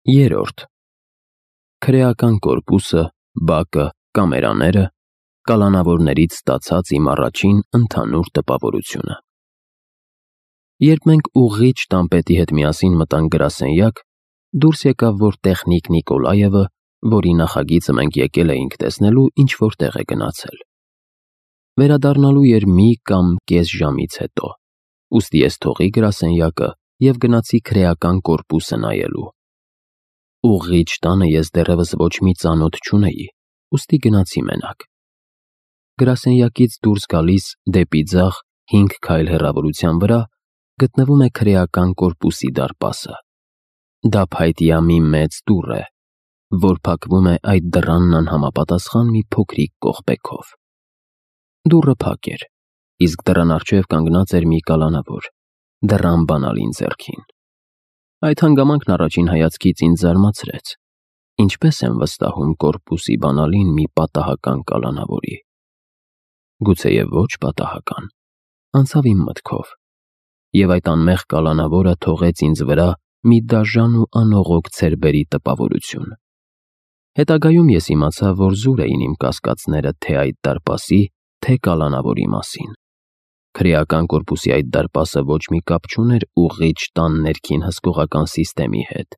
Երրորդ. Քրեական կորպուսը, բակը, կամերաները, կալանավորներից ստացած իմ առաջին ընդհանուր տպավորությունը։ Երբ մենք ուղղիչ տամպետի հետ միասին մտանք գրասենյակ, դուրս եկավ, որ տեխնիկ Նիկոլաևը, որի նախագիծը մենք եկել էինք տեսնելու, ինչ-որ տեղ է գնացել։ Վերադառնալու էր մի կամ կես ժամից հետո, ուստի ես թողի գրասենյակը և գնացի քրեական կորպուսը նայելու։ Ուղղիչ տանը ես դեռևս ոչ մի ծանոթ չունեի, ուստի գնացի մենակ։ Գրասենյակից դուրս գալիս դեպի ձախ 5 քայլ հեռավորության վրա գտնվում է քրեական կորպուսի դարպասը։ Դա փայտյա մի մեծ դուռ է, որ փակվում է այդ դռանն անհամապատասխան մի փոքրիկ կողպեքով։ Դուռը փակ էր, իսկ դռան առջև կանգնած էր մի կալանավոր, դռան բանալին ձեռքին։ Այդ հանգամանքն առաջին հայացքից ինձ զարմացրեց. ինչպես են վստահում կորպուսի բանալին մի պատահական կալանավորի։ Գուցեև ոչ պատահական, անցավ իմ մտքով, և այդ անմեղ կալանավորը թողեց ինձ վրա մի դաժան ու անողոք ցերբերի տպավորություն։ Հետագայում ես իմացա, որ զուր էին իմ կասկածները թե այդ դարպասի, թե կալանավորի մասին։ Քրեական կորպուսի այդ դարպասը ոչ մի կապ չուներ ուղղիչ տան ներքին հսկողական սիստեմի հետ։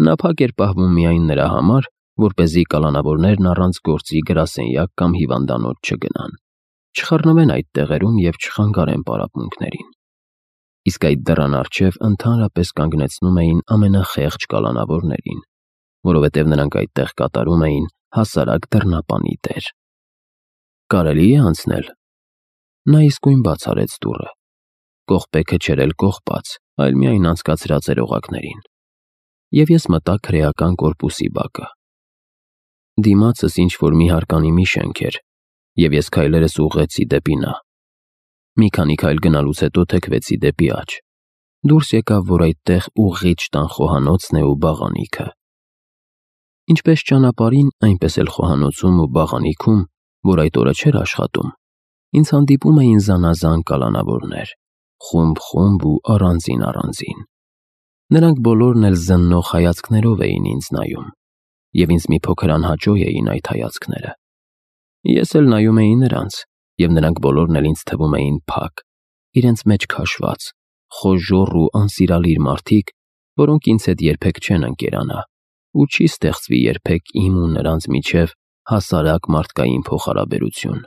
Նա փակ էր պահվում միայն նրա համար, որպեսզի կալանավորներն առանց գործի գրասենյակ կամ հիվանդանոց չգնան, չխռնվեն այդ տեղերում և չխանգարեն պարապմունքներին։ Իսկ այդ դռան առջև ընդհանրապես կանգնեցնում էին ամենախեղճ կալանավորներին, որովհետև նրանք այդտեղ կատարում էին հասարակ դռնապանի դեր։ Կարելի է անցնել։ Նա իսկույն բաց արեց դուռը։ Կողպեքը չէր էլ կողպած, այլ միայն անցկացրած էր օղակներին։ Եվ ես մտա քրեական կորպուսի բակը։ Դիմացս ինչ-որ մի հարկանիմի շենք էր, և ես քայլերս ուղղեցի դեպի նա։ Մի քանի քայլ գնալուց հետո թեքվեցի դեպի աջ։ Դուրս եկավ, որ այդտեղ ուղղիչ տան խոհանոցն է ու բաղանիքը։ Ինչպես ճանապարհին, այնպես էլ խոհանոցում ու բաղանիքում, որ այդ օրը չէր աշխատում, ինձ հանդիպում էին զանազան կալանավորներ, խումբ-խումբ ու առանձին։ Նրանք բոլորն էլ զննող հայացքներով էին ինձ նայում, և ինձ մի փոքր անհաճո էին այդ հայացքները։ Ես էլ նայում էի նրանց, և նրանք բոլորն էլ ինձ թվում էին փակ, իրենց մեջ քաշված, խոժոռ ու անսիրալիր մարդիկ, որոնք ինձ հետ երբեք չեն ընկերանա, ու չի ստեղծվի երբեք իմ ու նրանց միջև հասարակ մարդկային փոխհարաբերություն։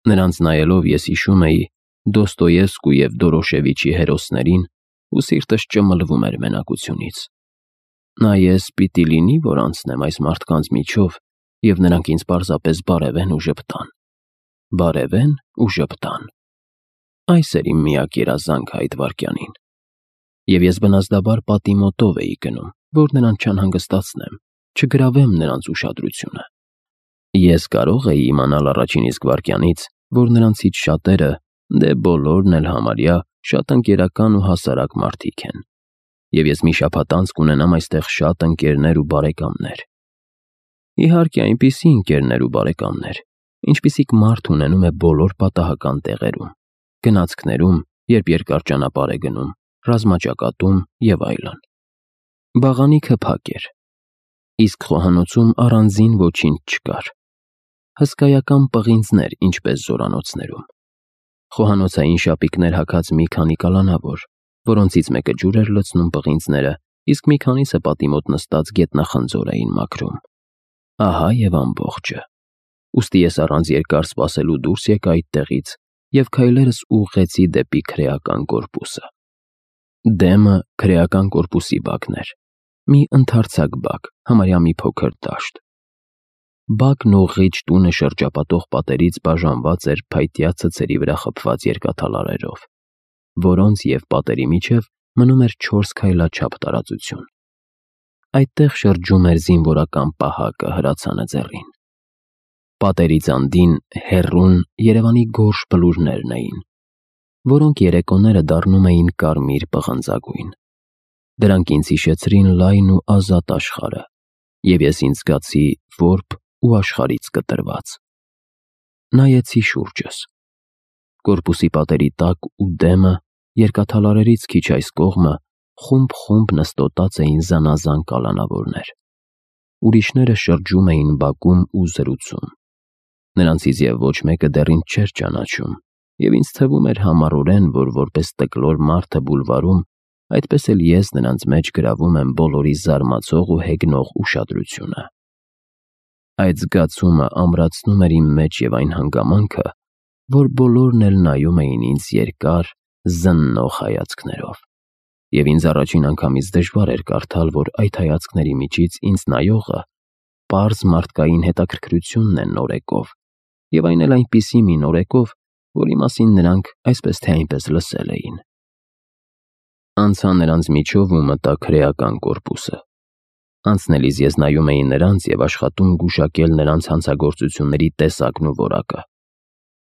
Նրանց նայելով ես հիշում էի Դոստոևսկու և Դորոշևիչի հերոսներին ու սիրտս ճմլվում էր մենակությունից։ Նա ես պիտի լինի, որ անցնեմ այս մարդկանց միջով, և նրանք ինձ պարզապես բարևեն ու ժպտան։ Բարևեն ու ժպտան։ Այս էր իմ միակ երազանքը այդ վայրկյանին։ Եվ ես բնազդաբար պատի մոտով էի գնում, որ նրանց չանհանգստացնեմ, չգրավեմ նրանց ուշադրությունը։ Ես կարող էի իմանալ առաջին իսկ վայրկյանից, որ նրանցից շատերը, դե բոլորն էլ համարյա, շատ ընկերական ու հասարակ մարդիկ են, և ես մի շաբաթ անց կունենամ այստեղ շատ ընկերներ ու բարեկամներ։ Իհարկե, այնպիսի ընկերներ ու բարեկամներ, ինչպիսիք մարդ ունենում է բոլոր պատահական տեղերում, գնացքներում, երբ երկար ճանապարհ է գնում, ռազմաճակատում և այլն։ Բաղանիքը փակ էր, իսկ խոհանոցում առանձին ոչինչ չկար։ Հսկայական պղինձներ, ինչպես զորանոցներում։ Խոհանոցային շապիկներ հագած մի քանի կալանավոր, որոնցից մեկը ջուր էր լցնում պղինձները, իսկ մի քանիսը պատի մոտ նստած գետնախնձոր էին մաքրում։ Ահա և ամբողջը։ Ուստի ես առանց երկար սպասելու դուրս եկա այդտեղից և քայլերս ուղղեցի դեպի քրեական կորպուսը։ Դեմը քրեական կորպուսի բակն էր։ Մի ընդարձակ բակ, համարյա մի փոքր դաշտ։ Բակն ուղղիչ տունը շրջապատող պատերից բաժանված էր փայտյա ցցերի վրա խփված երկաթալարերով, որոնց և պատերի միջև մնում էր 4 քայլաչափ տարածություն։ Այդտեղ շրջում էր զինվորական պահակը հրացանը ձեռին։ Պատերից անդին հեռուն Երևանի գորշ բլուրներն էին, որոնք երեկոները դառնում էին կարմիր պղնձագույն։ Դրանք ինձ հիշեցրին լայն ու ազատ աշխարհը, և ես ինձ զգացի որբ ու աշխարհից կտրված։ Նայեցի շուրջս։ Կորպուսի պատերի տակ ու դեմը, երկաթալարերից քիչ այս կողմը, խումբ-խումբ նստոտած էին զանազան կալանավորներ։ Ուրիշները շրջում էին բակում ու զրուցում։ Նրանցից և ոչ մեկը դեռ ինձ չէր ճանաչում, և ինձ թվում էր համառորեն, որ որպես տկլոր մարդը բուլվարում, այդպես էլ ես նրանց մեջ գրավում եմ բոլորի զարմացող ու հեգնող ուշադրությունը։ Այդ զգացումը ամրացնում էր իմ մեջ և այն հանգամանքը, որ բոլորն էլ նայում էին ինձ երկար, զննող հայացքներով, և ինձ առաջին անգամից դժվար էր կարդալ, որ այդ հայացքների միջից ինձ նայողը պարզ մարդկային հետաքրքրությունն է նորեկով, և այն էլ այնպիսի մի նորեկով, որի մասին նրանք այսպես թե այնպես լսել էին։ Անցա նրանց միջով ու մտա քրեական կորպուսը։ Անցնելիս ես նայում էի նրանց և աշխատում գուշակել նրանց հանցագործությունների տեսակն ու որակը։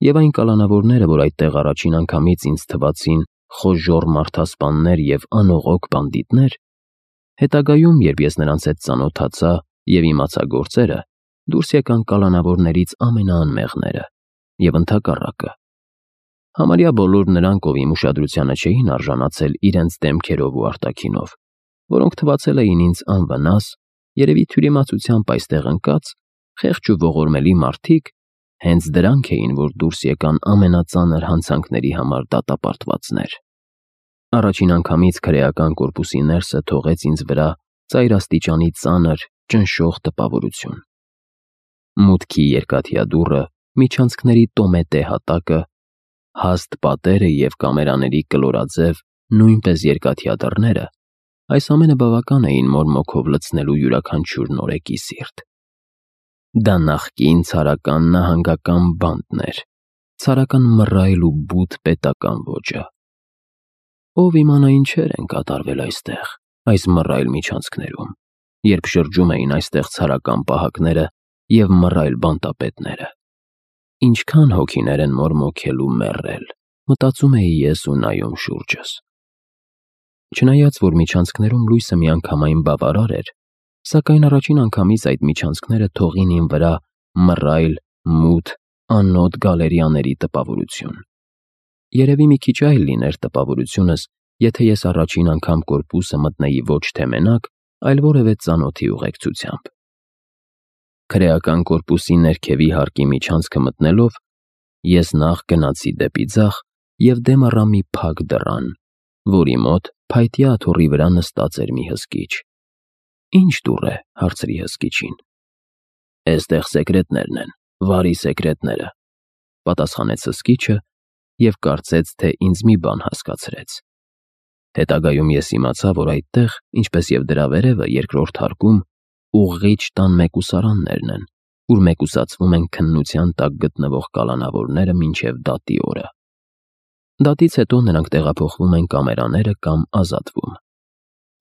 Եվ այն կալանավորները, որ այդտեղ առաջին անգամից ինձ թվացին խոժոռ մարդասպաններ և անողոք բանդիտներ, հետագայում, երբ ես նրանց հետ ծանոթացա և իմացա գործերը, դուրս եկան կալանավորներից ամենաանմեղները և ընդհակառակը։ Համարյա բոլոր նրանք, ով իմ ուշադրությանը չէին արժանացել իրենց դեմքերով ու արտաքինով, որոնք թվացել էին ինձ անվնաս, երևի թյուրիմացությամբ այստեղ ընկած, խեղճ ու ողորմելի մարդիկ, հենց դրանք էին, որ դուրս եկան ամենածանր հանցանքների համար դատապարտվածներ։ Առաջին անգամից քրեական կորպուսի ներսը թողեց ինձ վրա ծայրաստիճանի ծանր, ճնշող տպավորություն։ Մուտքի երկաթյա դուռը, միջանցքների տոմետե հատակը, հաստ պատերը և կամերաների կլորաձև, նույնպես երկաթյա դռները, այս ամենը բավական էին մորմոքով լցնելու յուրաքանչյուր նորեկի սիրտ։ Դա նախկին ցարական նահանգական բանտն էր, ցարական մռայլ ու բութ պետական ոճը։ Ով իմանա ինչեր են կատարվել այստեղ, այս մռայլ միջանցքներում, երբ շրջում էին այստեղ ցարական պահակները և մռայլ բանտապետները։ Ինչքան հոգիներ են մորմոքել ու մեռել, մտածում էի ես ու նայում շուրջս։ Չնայած, որ միջանցքներում լույսը միանգամայն բավարար էր, սակայն առաջին անգամից այդ միջանցքները թողին իմ վրա մռայլ, մութ, անոտ գալերիաների տպավորություն։ Երևի մի քիչ այլ լիներ տպավորությունս, եթե ես առաջին անգամ կորպուսը մտնեի ոչ թե մենակ, այլ որևէ ծանոթի ուղեկցությամբ։ Քրեական կորպուսի ներքևի հարկի միջանցքը մտնելով, ես նախ գնացի դեպի ձախ և դեմ առա մի փակ դռան, որի մոտ փայտյա աթոռի վրա նստած էր մի հսկիչ։ «Ի՞նչ դուռ է», հարցրի հսկիչին։ «Էստեղ սեկրետներն են, վարի սեկրետները», պատասխանեց հսկիչը և կարծեց, թե ինձ մի բան հասկացրեց։ Հետագայում ես իմացա, որ այդտեղ, ինչպես և դրա վերևը երկրորդ հարկում, ուղղիչ տան մեկուսարաններն են, ուր մեկուսացվում են քննության տակ գտնվող կալանավորները մինչև դատի օրը։ Դատից հետո նրանք տեղափոխվում են կամերաները կամ ազատվում։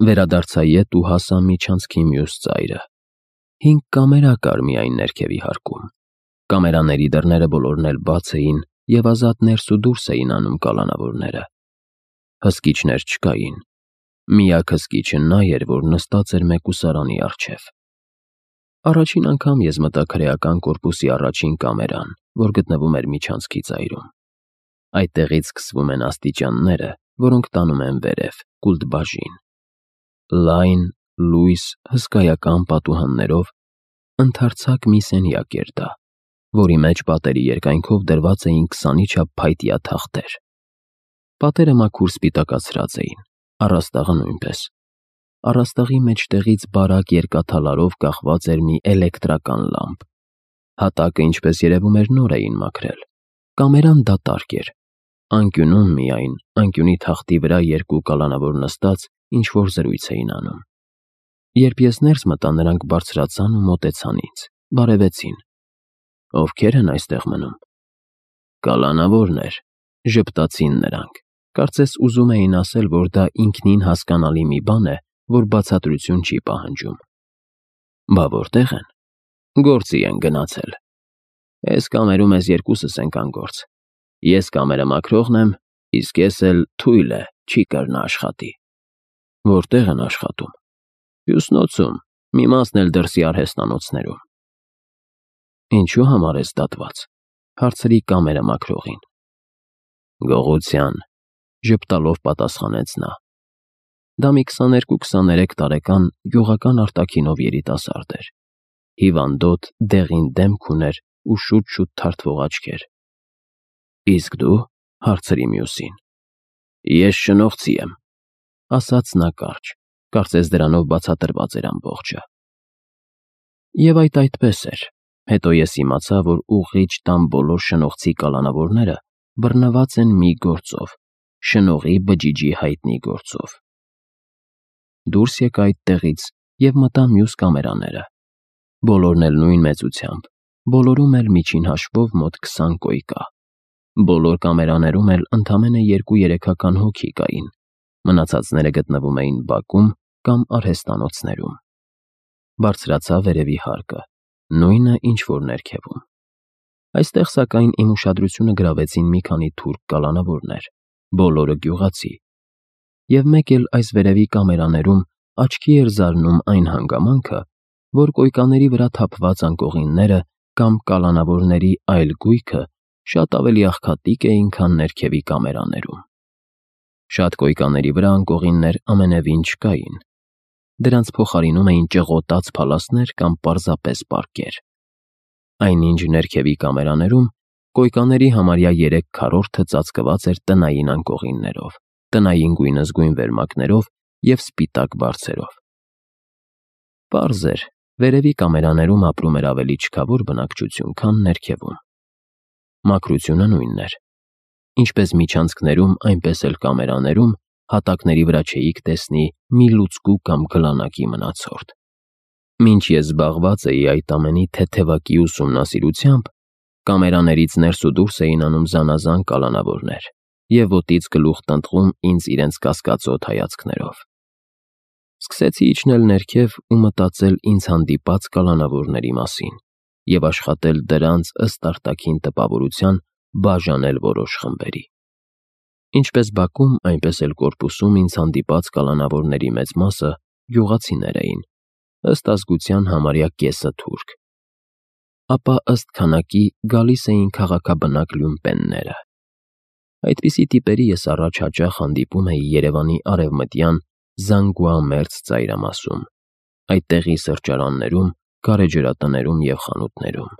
Վերադարձա ետ ու հասա միջանցքի մյուս ծայրը։ 5 կամերա կար միայն ներքևի հարկում։ Կամերաների դռները բոլորն էլ բաց էին և ազատ ներս ու դուրս էին անում կալանավորները։ Հսկիչներ չկային։ Միակ հսկիչը նա էր, որ նստած էր մեկուսարանի առջև։ Առաջին անգամ ես մտա քրեական կորպուսի առաջին կամերան, որ գտնվում էր միջանցքի ծայրում։ Այդտեղից սկսվում են աստիճանները, որոնք տանում են վերև, կուլտբաժին։ Լայն, լույս, հսկայական պատուհաններով ընդարձակ մի սենյակ էր դա, որի մեջ պատերի երկայնքով դրված էին 20-ի չափ փայտյա թախտեր։ Պատերը մաքուր սպիտակացրած էին, առաստաղը նույնպես։ Առաստաղի մեջտեղից բարակ երկաթալարով կախված էր մի էլեկտրական լամպ։ Հատակը, ինչպես երևում էր, նոր էին մաքրել։ Կամերան դատարկ էր։ Անկյունում միայն, անկյունի թախտի վրա 2 կալանավոր նստած ինչ-որ զրույց էին անում։ Երբ ես ներս մտա, նրանք բարձրացան ու մոտեցան ինձ, բարևեցին։ «Ովքեր են այստեղ մնում»։ «Կալանավորներ», ժպտացին նրանք, կարծես ուզում էին ասել, որ դա ինքնին հասկանալի մի բան է, որ բացատրություն չի պահանջում։ «Բա որտեղ են»։ «Գործի են գնացել»։ «Էս կամերում էս երկուսս ենք անգործ։ Ես կամերը մաքրողն եմ, իսկ ես էլ թույլ է, չի կրնա աշխատի»։ «Որտեղ են աշխատում»։ «Հյուսնոցում, մի մասն էլ դրսի արհեստանոցներում»։ «Ինչու համար ես դատված»։ Հարցրի կամերը մաքրողին։ «Գողության», ժպտալով պատասխանեց նա։ Դա մի 22-23 տարեկան գյուղական արտաքինով երիտասարդ էր։ Հիվանդոտ, դեղին դեմք ուներ ու շուտ-շուտ թարթվող աչքեր։ Իսկ դու, հարցրի մյուսին։ Ես շնողցի եմ, ասաց նա կարճ, կարծես դրանով բացատրված էր ամբողջը։ Եվ այդպես էր։ Հետո ես իմացա, որ ուղղիչ տան բոլոր շնողցի կալանավորները բռնված են մի գործով, շնողի բջիջի հայտնի գործով։ Դուրս եկա այդտեղից և մտա մյուս կամերաները։ Բոլորն էլ նույն մեծությամբ, բոլորում էլ միջին հաշվով մոտ 20 կոյ կա։ Բոլոր կամերաներում էլ ընդամենը 2-3 հոգի կային, մնացածները գտնվում էին բակում կամ արհեստանոցներում։ Բարձրացա վերևի հարկը, նույնը ինչ որ ներքևում։ Այստեղ սակայն իմ ուշադրությունը գրավեցին մի քանի թուրք կալանավորներ, բոլորը գյուղացի։ Եվ մեկ էլ այս վերևի կամերաներում աչքի էր զարնում այն հանգամանքը, որ կոյկաների վրա թափված անկողինները կամ կալանավորների այլ գույքը շատ ավելի աղքատիկ էին, քան ներքևի կամերաներում։ Շատ կոյկաների վրա անկողիններ ամենևին չկային։ Դրանց փոխարինում էին ճղոտած փալասներ կամ պարզապես պարկեր։ Այնինչ ներքևի կամերաներում կոյկաների համարյա 3/4-ը ծածկված էր տնային անկողիններով, տնային գույնզգույն վերմակներով և սպիտակ բարձերով։ Պարզ էր, վերևի կամերաներում ապրում էր ավելի չքավոր բնակչություն, քան ներքևում։ Մաքրությունը նույնն էր։ Ինչպես միջանցքներում, այնպես էլ կամերաներում հատակների վրա չէիք տեսնի մի լուցկու կամ գլանակի մնացորդ։ Մինչ ես զբաղված էի այդ ամենի թեթևակի ուսումնասիրությամբ, կամերաներից ներս ու դուրս էին անում զանազան կալանավորներ և ոտից գլուխ տնտղում ինձ իրենց կասկածոտ հայացքներով։ Սկսեցի իջնել ներքև ու մտածել ինձ հանդիպած կալանավորների մասին և աշխատել դրանց ըստ արտաքին տպավորության բաժանել որոշ խմբերի։ Ինչպես բակում, այնպես էլ կորպուսում ինձ հանդիպած կալանավորների մեծ մասը գյուղացիներ էին, ըստ ազգության համարյա կեսը թուրք։ Ապա ըստ քանակի գալիս էին քաղաքաբնակ լյումպենները։ Այդպիսի տիպերի ես առաջ հաճախ հանդիպում էի Երևանի արևմտյան Զանգուամերձ ծայրամասում, այդտեղի սրճարաններում, գարեջրատներում և խանութներում։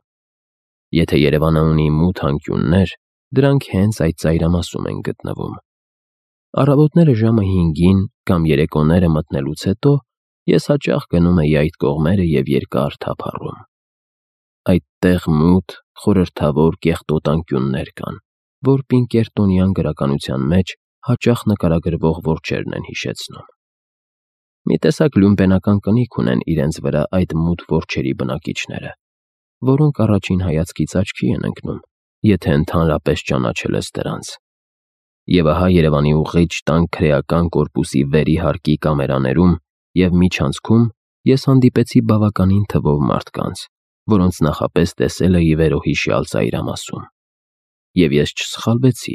Եթե Երևանը ունի մութ անկյուններ, դրանք հենց այդ ծայրամասում են գտնվում։ Առավոտները ժամը 5-ին կամ երեկոները մտնելուց հետո ես հաճախ գնում էի այդ կողմերը և երկար թափառում։ Այդտեղ մութ, խորհրդավոր կեղտոտ անկյուններ կան, որ պինկերտոնյան գրականության մեջ հաճախ նկարագրվող որջերն են հիշեցնում։ Մի տեսակ լյումպենական կնիք ունեն իրենց վրա այդ մութ որջերի բնակիչները, որոնք առաջին հայացքից աչքի են ընկնում, եթե ընդհանրապես ճանաչել ես դրանց։ Եվ ահա Երևանի ուղղիչ տան քրեական կորպուսի վերի հարկի կամերաներում և միջանցքում ես հանդիպեցի բավականին թվով մարդկանց, որոնց նախապես տեսել էի վերոհիշյալ ծայրամասում։ Եվ ես չսխալվեցի։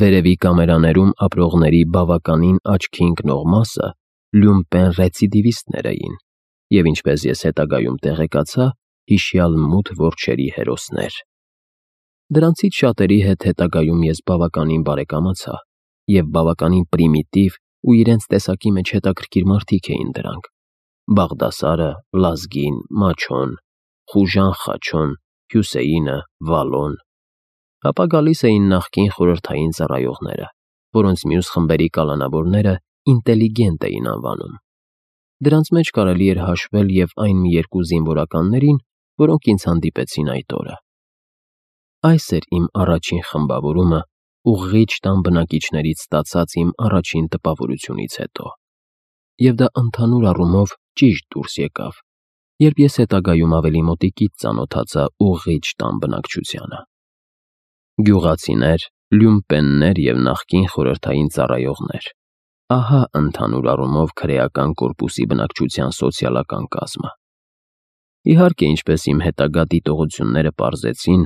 Վերևի կամերաներում ապրողների բավականին աչքի ընկնող մասը լյումպեն ռեցիդիվիստներ էին և, ինչպես ես հետագայում տեղեկացա, հիշյալ մութ որջերի հերոսներ։ Դրանցից շատերի հետ հետագայում ես բավականին բարեկամացա, և բավականին պրիմիտիվ ու իրենց տեսակի մեջ հետաքրքիր մարդիկ էին դրանք. Բաղդասարը, Լազգին, Մաչոն, Խուժան Խաչոն, Հյուսեյինը, Վալոն։ Ապա գալիս էին նախկին խորհրդային ծառայողները, որոնց մյուս խմբերի կալանավորները ինտելիգենտ էին անվանում։ Դրանց մեջ կարելի էր հաշվել և այն մի երկու զինվորականներին, որոնք ինձ հանդիպեցին այդ օրը։ Այս էր իմ առաջին խմբավորումը ուղղիչ տան բնակիչներից ստացած իմ առաջին տպավորությունից հետո։ Եվ դա ընդհանուր առումով ճիշտ դուրս եկավ, երբ ես հետագայում ավելի մոտիկից ծանոթացա ուղղիչ տան բնակչությանը։ Գյուղացիներ, լյումպեններ և նախկին խորհրդային ծառայողներ։ Ահա ընդհանուր առումով քրեական կորպուսի բնակչության սոցիալական կազմը։ Իհարկե, ինչպես իմ հետագա դիտողությունները պարզեցին,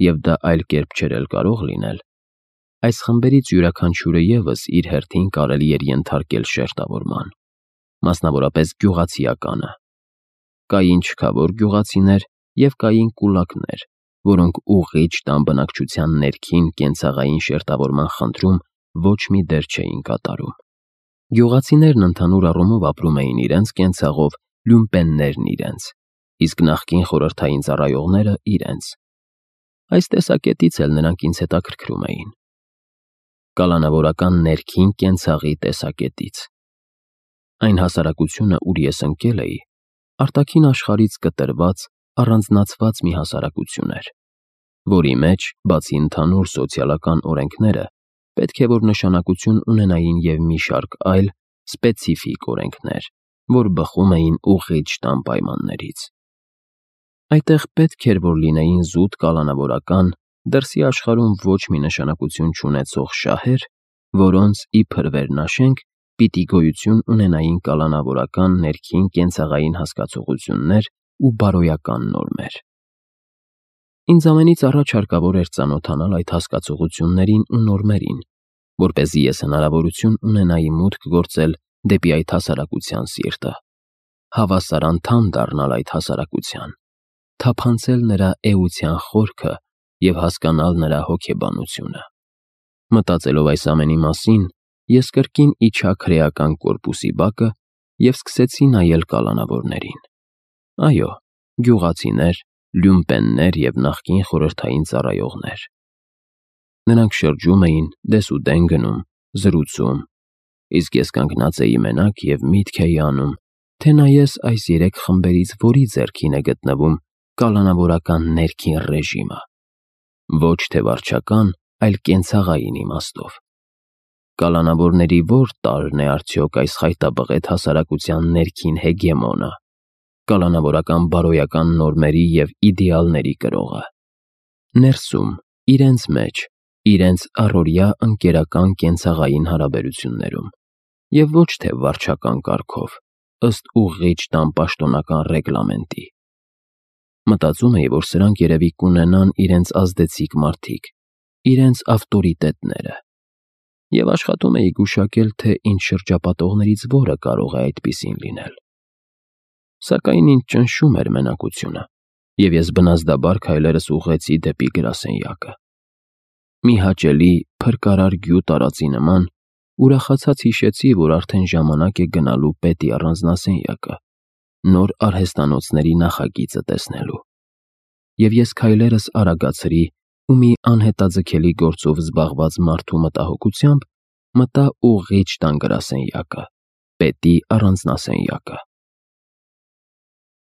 և դա այլ կերպ չէր էլ կարող լինել, այս խմբերից յուրաքանչյուրը ևս իր հերթին կարելի էր ենթարկել շերտավորման, մասնավորապես գյուղացիականը։ Կային չքավոր գյուղացիներ և կային կուլակներ, որոնք ուղղիչ տան բնակչության ներքին կենցաղային շերտավորման խնդրում ոչ մի դեր չէին կատարում։ Գյուղացիներն ընդհանուր առումով ապրում էին իրենց կենցաղով, լյումպեններն իրենց, իսկ նախկին խորհրդային ծառայողները իրենց։ Այս տեսակետից էլ նրանք ինձ հետաքրքրում էին։ Կալանավորական ներքին կենցաղի տեսակետից։ Այն հասարակությունը, ուր ես ընկել էի, արտաքին աշխարհից կտրված, առանձնացված մի հասարակություն էր, որի մեջ, բացի ընդհանուր սոցիալական օրենքները, պետք է որ նշանակություն ունենային և մի շարք այլ սպեցիֆիկ օրենքներ, որ բխում էին ուղղիչ տան պայմաններից։ Այդտեղ պետք էր որ լինեին զուտ կալանավորական, դրսի աշխարհում ոչ մի նշանակություն չունեցող շահեր, որոնց, իբր վերնաշենք, պիտի գոյություն ունենային կալանավորական ներքին կենցաղային հասկացություններ ու բարոյական նորմեր։ Ինձ ամենից առաջ հարկավոր էր ծանոթանալ այդ հասկացություններին ու նորմերին, որպեսզի ես հնարավորություն ունենայի մուտք գործել դեպի այդ հասարակության սիրտը, հավասար անդամ դառնալ այդ հասարակության, թափանցել նրա էության խորքը և հասկանալ նրա հոգեբանությունը։ Մտածելով այս ամենի մասին, ես կրկին իջա քրեական կորպուսի բակը և սկսեցի նայել կալանավորներին։ Այո, գյուղացիներ, լյումպեններ և նախկին խորհրդային ծառայողներ։ Նրանք շրջում էին, դեսուդեն գնում, զրուցում, իսկ ես կանգնած էի մենակ և միտք էի անում, թե նայես այս երեք խմբերից որի ձեռքին է գտնվում կալանավորական ներքին ռեժիմը, ոչ թե վարչական, այլ կենցաղային իմաստով։ Կալանավորների որ տարրն է արդյոք այս խայտաբղետ հասարակության ներքին հեգեմոնը, կալանավորական բարոյական նորմերի և իդեալների կրողը։ Ներսում, իրենց մեջ, իրենց առօրյա ընկերական կենցաղային հարաբերություններում, և ոչ թե վարչական կարգով, ըստ ուղղիչ տան պաշտոնական ռեգլամենտի։ Մտածում էի, որ սրանք երևի կունենան իրենց ազդեցիկ մարդիկ, իրենց ավտորիտետները, և աշխատում էի գուշակել, թե ինձ շրջապատողներից որը կարող է այդպիսին լինել։ Սակայն ինձ ճնշում էր մենակությունը, և ես բնազդաբար քայլերս ուղղեցի դեպի գրասենյակը։ Մի հաճելի, փրկարար գյուտ տարածի նման, ուրախացած հիշեցի, որ արդեն ժամանակ է գնալու պետի առանձնասենյակը, նոր արհեստանոցների նախագիծը տեսնելու։ Եվ ես քայլերս արագացրի ու մի անհետաձգելի գործով զբաղված մարդու մտահոգությամբ մտա ուղղիչ տան գրասենյակը, պետի առանձնասենյակը։